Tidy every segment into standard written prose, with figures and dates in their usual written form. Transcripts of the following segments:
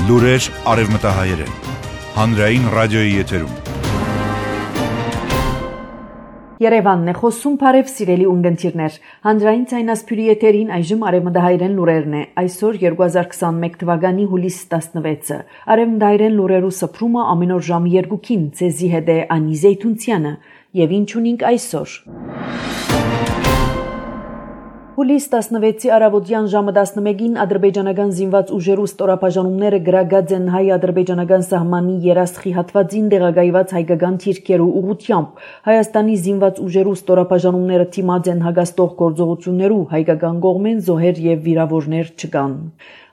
Լուրեր արևմտահայերեն, հանրային ռադիոյի եթերում։ Երևանն է խոսում, բարև սիրելի ունգընտիրներ, հանրային ցայնասփյուրի եթերին այժմ արևմտահայերեն լուրերն է, այսօր 2021 թվականի հուլիս 16-ը, արևմտահայերեն լուրերու սփրումը ամեն օր ժամը 2-ին, ցեզի հետ է Անի Զեյթունցյանը, եւ ինչ ունենք այսօր։ Հուլիս 16-ի առավոտյան ժամը 11-ին ադրբեջանական զինված ուժերու ստորաբաժանումները գրագած են հայ-ադրբեջանական սահմանի երասխի հատվածին տեղակայված հայկական թիրքերու ուղղությամբ։ Հայաստանի զինված ուժերու ստորաբաժանումները թիմած են հագաստող գործողություններու, հայկական կողմեն զոհեր եւ վիրավորներ չկան։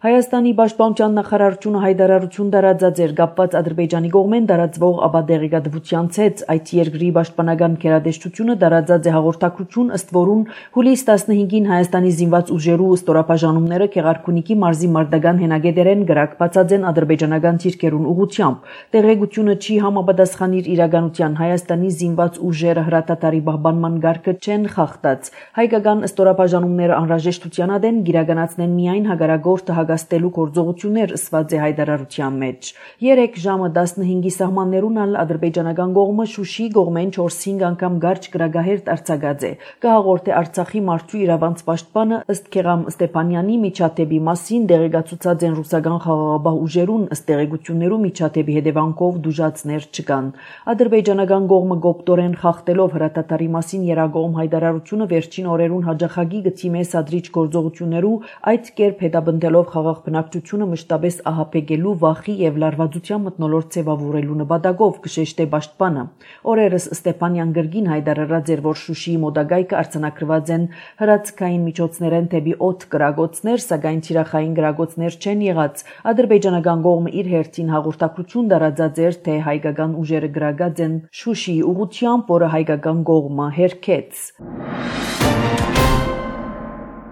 Հայաստանի պաշտպանության նախարարությունը հայտարարություն տարածած էր կապված Ադրբեջանի կողմեն տարածվող ապադեղեկատվության ցեց, այդ երկրի պաշտպանական գերատեսչությունը տարածած է հաղորդակցություն, ըստ որուն հուլիս 15-ին Հայաստանի զինված ուժերու ստորաբաժանումները Քեղարքունիքի մարզի մարտական հենագետերեն գրակված են ադրբեջանական թիրքերուն ուղղությամբ։ Տեղեկությունը չի համապատասխանիր իրականության, Հայաստանի զինված ուժերը հրատատարի պահպանման գարկը չեն խախտած։ Հայկական ստորաբաժանումները անհրաժեշտության ադեն գիրականացնեն միայն հագարագորտը հագաստելու գործողություններ, ըսված է հայտարարության մեջ։ 3 ժամը 15-ի սահմաններուն ալ ադրբեջանական կողմը Շուշի կողմեն 4-5 անգամ գարչ գրագահերտ արձակած է։ Կհաղորդե Արցախի մարդու իրավանց պաշտպանը, ըստ Քեղամ Ստեփանյանի միջադեպի մասին տեղեկացուցած են ռուսական խաղաղապահ ուժերուն, ըստ տեղեկություններու միջադեպի հետևանքով դժուժացներ չկան։ Ադրբեջանական կողմը գոպտորեն խախտելով հրատատարի մասին երագողմ հայտարարությունը վերջին օրերուն հաջախագի գծիմե սադրիչ գործողություններու, այդ կերպ հետապնդելով խաղաղ բնակչությունը մշտապես ահապեկելու վախի եւ լարվածության մթնոլորտ ձևավորելու նպատակով կշեշտե պաշտպանը։ Օրերս Ստեփանյան գրգին հայտարարած էր, որ Շուշիի մոտակայքը արձանագրված են հրացքային միջոցներեն թեպի օդ գրագոցներ, սակայն թիրախային գրագոցներ չեն եղած։ Ադրբեջանական կողմը իր հերթին հաղորդակցություն տարածած էր, թե հայկական ուժերը գրագած են Շուշիի ուղղությամբ, որը հայկական կողմը հերքեց։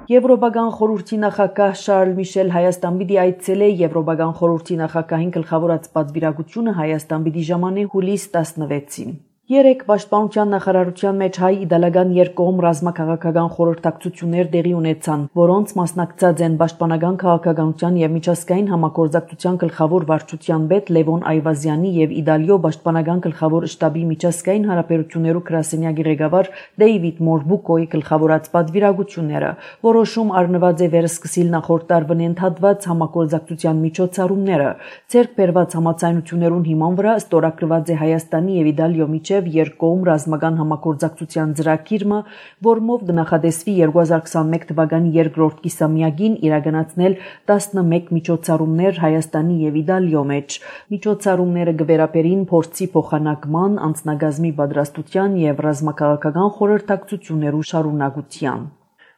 Եվրոպական խորհրդի նախագահ Շարլ Միշել Հայաստան պիտի այցելե Եվրոպական խորհրդի նախագահին գլխավորած պատվիրակությունը Հայաստան պիտի ժամանե հուլիս 16-ին։ 3 պաշտպանության նախարարության մեջ հայ-իտալական երկկողմ ռազմաքաղաքական խորհրդակցություններ տեղի ունեցան, որոնց մասնակցած են պաշտպանական քաղաքականության եւ միջազգային համագործակցության գլխավոր վարչության պետ Լևոն Այվազյանի եւ Իտալիո պաշտպանական գլխավոր շտաբի միջազգային հարաբերություններու գրասենյակի ղեկավար Դեյվիդ Մորբուկոյի գլխավորած պատվիրակությունները, որոշում առնված է վերսկսիլ նախորդ տարվան ընդհատված համագործակցության միջոցառումները, ցերկ բերված համաձայնություններուն հիման վրա ստորագրված է Հայաստանի եւ Իտալիո միջև երկկողմ ռազմական համագործակցության ծրագիրը, որմով կնախադեсվի 2021 թվականի երկրորդ կիսամյակին իրականացնել 11 միջոցառումներ Հայաստանի եւ Իտալիո մեջ։ Միջոցառումները կվերապերին փորձի փոխանակման, անձնագազմի պատրաստության եւ ռազմաքաղաքական խորհրդակցություններու շարունակության։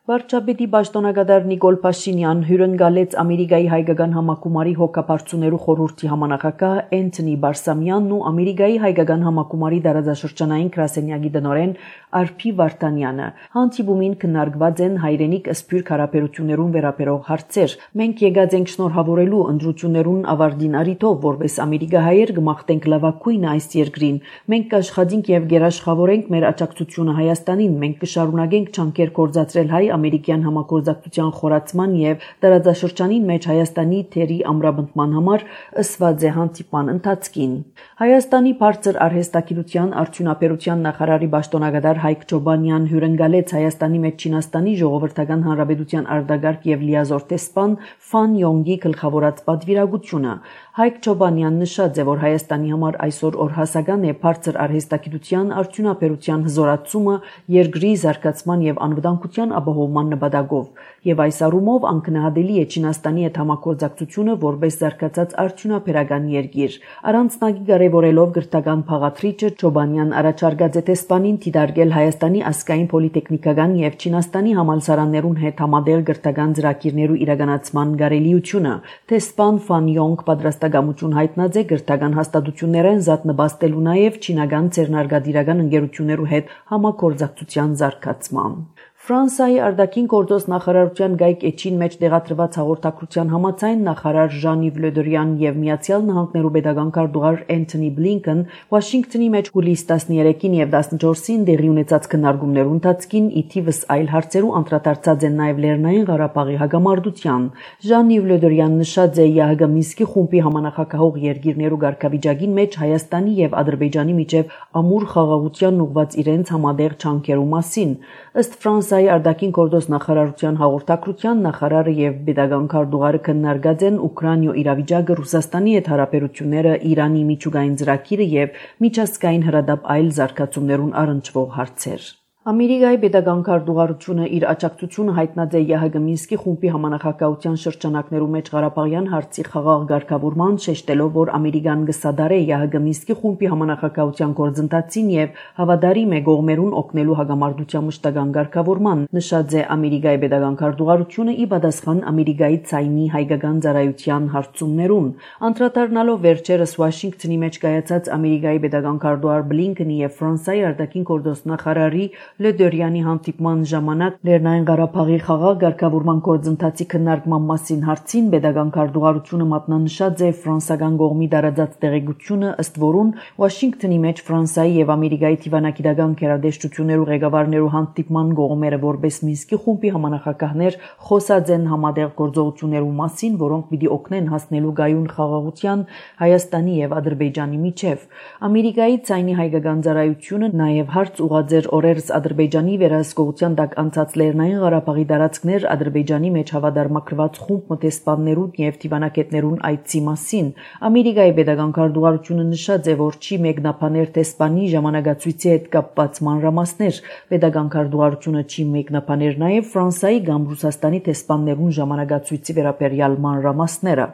Վարչապետի պաշտոնակատար Նիկոլ Փաշինյան հյուրընկալեց Ամերիկայի հայկական համակումարի հոգաբարձուներու խորհրդի համանախագահ Էնթոնի Բարսամյանն ու Ամերիկայի հայկական համակումարի դարաձաշրջանային գրասենյակի տնօրեն Արփի Վարդանյանը։ Հանդիպումին քննարկված են հայրենիք սփյուռք հարաբերություններուն վերաբերող հարցեր։ Մենք եկած ենք շնորհավորելու ընտրություններուն ավարտին առիթով, որպես ամերիկահայեր կմաղթենք լավագույնը այս երկրին։ Մենք կաշխատենք եւ գերաշխավորենք մեր աջակցությունը Հայաստանին։ Մենք կշարունակենք ջանքեր գործադրել հայ-ամերիկյան համագործակցության խորացման եւ տարածաշրջանին մեջ Հայաստանի թերի ամրապնդման համար, ըսված է հանդիպման ընթացքին։ Հայաստանի բարձր արհեստագիտության արդյունաբերության նախարարի պաշտոնակատար Հայկ Ջոբանյան հյուրընկալեց Հայաստանի մեջ Չինաստանի ժողովրդական հանրապետության արտագաղթ եւ լիազոր տեսփան Ֆան Յոնգի գլխավորած պատվիրակությունը։ Հայկ Ջոբանյան նշած է, որ Հայաստանի համար այսօր օրհասական է բարձր արհեստագիտության արդյունաբերության հզորացումը երկրի զարգացման եւ անվտանգության ապահովման նպատակով, եւ այս առումով անկնահատելի է Չինաստանի հետ համագործակցությունը որպես զարգացած արդյունաբերական երկիր։ Առանցնագի կարևորելով գրթական փաղաթրիչը Ջոբանյան առաջարկած է տեսփանին դիտարկել Հայաստանի ազգային պոլիտեխնիկական եւ Չինաստանի համալսարաններուն հետ համատեղ գրթական ծրագիրներու իրականացման կարելիությունը։ Տեսփան Ֆան Յոնգ պատրաստակամություն հայտնած է գրթական հաստատություններեն զատնպաստելու նաեւ չինական ցերնարգադիրական ընկերություններու հետ համագործակցության զարգացման։ Ֆրանսիայի արտաքին գործոս նախարարության Գայք Էջին մեջ տեղադրված հաղորդակցության համաձայն նախարար Ժան-Իվ Լե Դրիան եւ Միացյալ Նահանգներու պետական քարտուղար Էնթոնի Բլինքեն Վաշինգտոնի մեջ հուլիս 13-ին եւ 14-ին տեղի ունեցած քննարկումներու ընթացքին ի թիվս այլ հարցերու անդրադարձած են նաեւ Լեռնային Ղարաբաղի հագամարտության։ Ժան-Իվ Լե Դրիան նշած է ՀՀԳ Մինսկի խումբի համանախագահող երկիրներու ղեկավարին մեջ Հայաստանի եւ Ադրբեջանի միջև ամուր խաղաղության ուղված իրենց համադեղ չանքերու մասին։ Ըստ Ֆրանսիայի արտաքին գործոս նախարարության հաղորդակցության նախարարը եւ պետական քարտուղարը քննարկած են Ուկրաինայո իրավիճակը, Ռուսաստանի հետ հարաբերությունները, Իրանի միջուկային ծրագիրը եւ միջազգային հրադապ այլ զարգացումներուն առնչվող հարցեր։ Ամերիկայի պետական քարտուղարությունը իր աջակցությունը հայտնած է ՀՀԳ Մինսկի խումբի համանախագահության շրջանակներու մեջ Ղարաբաղյան հարցի խաղաղ ղեկավարման, շեշտելով, որ Ամերիկան կսադարե ՀՀԳ Մինսկի խումբի համանախագահության գործընթացին եւ հավատարիմ է կողմերուն օգնելու հագամարտության մշտական ղեկավարման, նշած է Ամերիկայի պետական քարտուղարությունը ի պատասխան Ամերիկայի ցայնի հայկական ծառայության հարցումներուն։ Անդրադառնալով վերջերս Վաշինգտոնի մեջ կայացած Ամերիկայի պետական քարտուղար Բլինքենի եւ Ֆրանսիայի արտաքին գործոս նախարարի Լե Դրիանի հանդիպման ժամանակ Լեռնային Ղարաբաղի խաղաղ ղեկավարման գործընթացի քննարկման մասին հարցին պետական քարտուղարությունը մատնանշած է ֆրանսական կողմի տարածած տեղեկությունը, ըստ որուն Վաշինգտոնի մեջ Ֆրանսիայի եւ Ամերիկայի դիվանագիտական գերատեսչություններու ղեկավարներու հանդիպման կողմերը որպես Մինսկի խումբի համանախագահներ խոսած են համատեղ գործողություններու մասին, որոնք պիտի օգնեն հասնելու գայուն խաղաղության Հայաստանի եւ Ադրբեջանի միջև։ Ամերիկայի ցայնի հայկական ծառայությունը նաեւ հարց ուղղած էր օրերս Ադրբեջանի վերահսկողության տակ անցած Լեռնային Ղարաբաղի տարածքներ Ադրբեջանի մեջ հավատարմագրված խումբ մտեսպաններուն եւ դիվանագետներուն այցի մասին։ Ամերիկայի պետական քարտուղարությունը նշած է, որ չի մեկնաբաներ տեսփանի ժամանակացույցի հետ կապված մանրամասներ։ Պետական քարտուղարությունը չի մեկնաբաներ նաեւ Ֆրանսիայի կամ Ռուսաստանի տեսփաններուն ժամանակացույցի վերաբերյալ մանրամասները։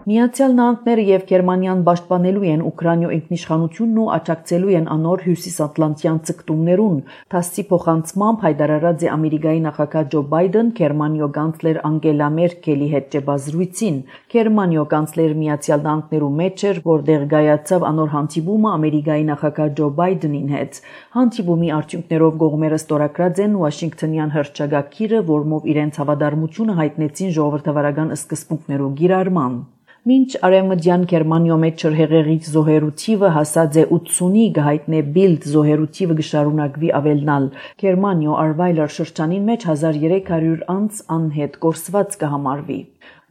Միացյալ Նահանգները եւ Գերմանիան պաշտպանելու են Ուկրաինայո ինքնիշխանությունն ու աջակցելու են անոր հյուսիսատլանտյան ցկտումներուն։ ԹԱՍՍ-ի փոխանցմամբ հայտարարած է Ամերիկայի նախագահ Ջո Բայդեն Գերմանիո կանցլեր Անգելա Մերկելի հետ ճեպազրույցին։ Գերմանիո կանցլեր Միացյալ Նահանգներու մեջ էր, որտեղ գայացավ անոր հանդիպումը Ամերիկայի նախագահ Ջո Բայդենին հետ։ Հանդիպումի արդյունքներով կողմերը ստորագրած են Վաշինգտոնյան հռչակագիրը, որմով իրենց հավատարմությունը հայտնեցին ժողովրդավարական սկզբունքներու կիրառման։ Մինչ արևմտյան Գերմանիո մեջ հեղեղի զոհերու թիվը հասած է 80-ի, գահիտնե Բիլդ զոհերու թիվը կշարունակվի ավելնալ։ Գերմանիո Արվայլեր շրջանին մեջ 1300 անց անհետ կորսված կհամարվի։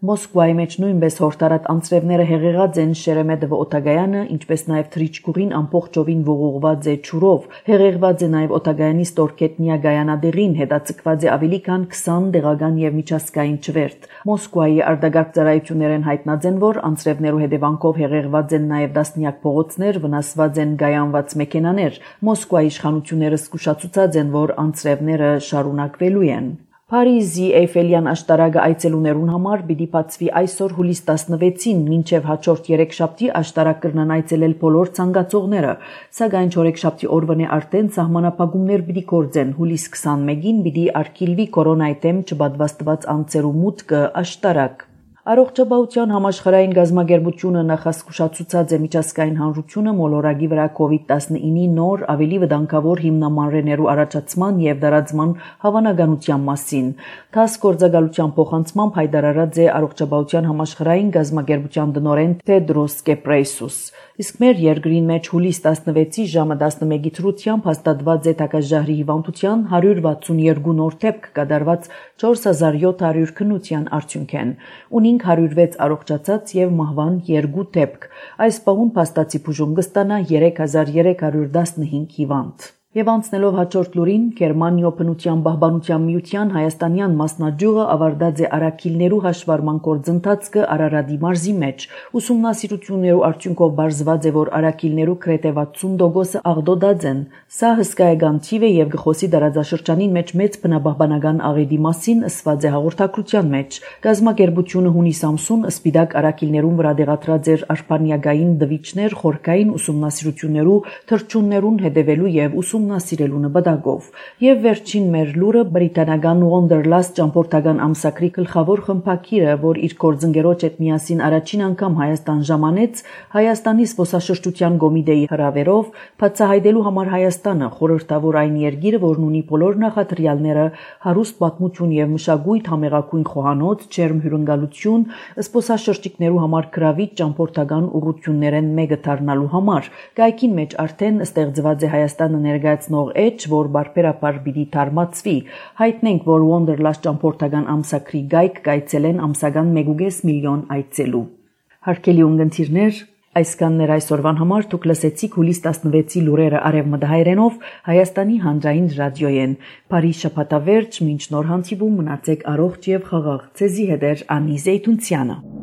Մոսկվայի մեջ նույնպես հորտարատ անձրևները հեղեղած են Շերեմեդովո օտագայանը, ինչպես նաև Թրիչկուղին ամբողջովին ողողված է ջուրով։ Հեղեղված է նաև օտագայանի Ստորկետնիա գայանադեղին, հետաձգված է ավելի քան 20 տեղական եւ միջազգային չվերթ։ Մոսկվայի արտագաղթ ծառայություններն հայտնած են, որ անձրևներու հետևանքով հեղեղված են նաև դասնյակ փողոցներ, վնասված են գայանված մեքենաներ։ Մոսկվայի իշխանությունները զսկուշացուցած են, որ անձրևները շարունակվելու են։ Փարիզի Էյֆելյան աշտարակը այցելուներուն համար պիտի բացվի այսօր հուլիս 16-ին, մինչև հաջորդ 3 շաբթի աշտարակ կրնան այցելել բոլոր ցանկացողները, սակայն չորեքշաբթի օրվանե արդեն սահմանափակումներ պիտի գործեն։ Հուլիս 21-ին պիտի արգելվի կորոնայի դեմ չպատվաստված անձերու մուտքը աշտարակ։ Առողջապահության համաշխարհային գազագերբությունը նախազգուշացուցած է միջազգային հանրությունը մոլորակի վրա COVID-19-ի նոր ավելի վտանգավոր հիմնամանրերու առաջացման եւ դարածման հավանականության մասին։ ԹԱՍՍ գործակալության փոխանցմամբ հայտարարած է առողջապահության համաշխարհային գազագերբության տնօրեն Թեդրոս Գեբրեյսուս։ Իսկ մեր երկրին մեջ հուլիս 16-ի ժամը 11-ի թրությամբ հաստատված է տակաժահրի հիվանդության 162 նոր դեպք կատարված 4700 քննության արդյունքեն։ Ունինք 106 առողջացած եւ մահվան 2 դեպք։ Այս պահուն փաստացի բուժում կստանա 3315 հիվանդ։ Եվ անցնելով հաջորդ լուրին, Գերմանիո բնության պահպանության միության հայաստանյան մասնաճյուղը ավարտած է արաքիլներու հաշվառման գործընթացը Արարատի մարզի մեջ։ Ուսումնասիրություններու արդյունքով բարձված է, որ արաքիլներու գրեթե 60%-ը աղդոդած են։ Սա հսկայական թիվ է եւ գխոսի դարաձաշրջանին մեջ մեծ բնապահպանական աղետի մասին ըսված է հաղորդակցության մեջ։ Գազագերբությունը հունիս ամսուն սպիտակ արաքիլներուն վրա դեղատրած էր արբանյակային դվիճներ խորքային ուսումնասիրություններու թրջուններուն հետևելու եւ ուսումնասիրելու նպատակով։ Եվ վերջին մեր լուրը բրիտանական Wanderlust ճամփորդական ամսագրի գլխավոր խմբակիրը, որ իր գործընկերոջ հետ միասին առաջին անգամ Հայաստան ժամանեց, Հայաստանի զբոսաշրջության կոմիտեի հրավերով բացահայտելու համար Հայաստանը խորհրդավոր այն երկիրը, որն ունի բոլոր նախադրյալները, հարուստ պատմություն եւ մշակույթ, համեղագույն խոհանոց, ջերմ հյուրընկալություն, զբոսաշրջիկներու համար գրավիչ ճամփորդական ուղղություններեն մեկը դառնալու համար։ Գայքին մեջ արդեն ստեղծված է Հայաստանը ներկայացնող էջ, որ բարբերաբար պիտի թարմացվի։ Հայտնենք, որ Wanderlust ճամփորդական ամսագրի գայք կայցելեն ամսական 1.5 միլիոն այցելու։ Հարգելի ունգընտիրներ, այսքաններ այսօրվան համար դուք լսեցիք հուլիս 16-ի լուրերը արևմտահայերենով Հայաստանի հանրային ռադիոյեն։ Բարի շաբաթավերջ, մինչ նոր հանդիպում մնացեք առողջ եւ խաղաղ։ Ձեզի հետ է Անի Զեյթունցյանը։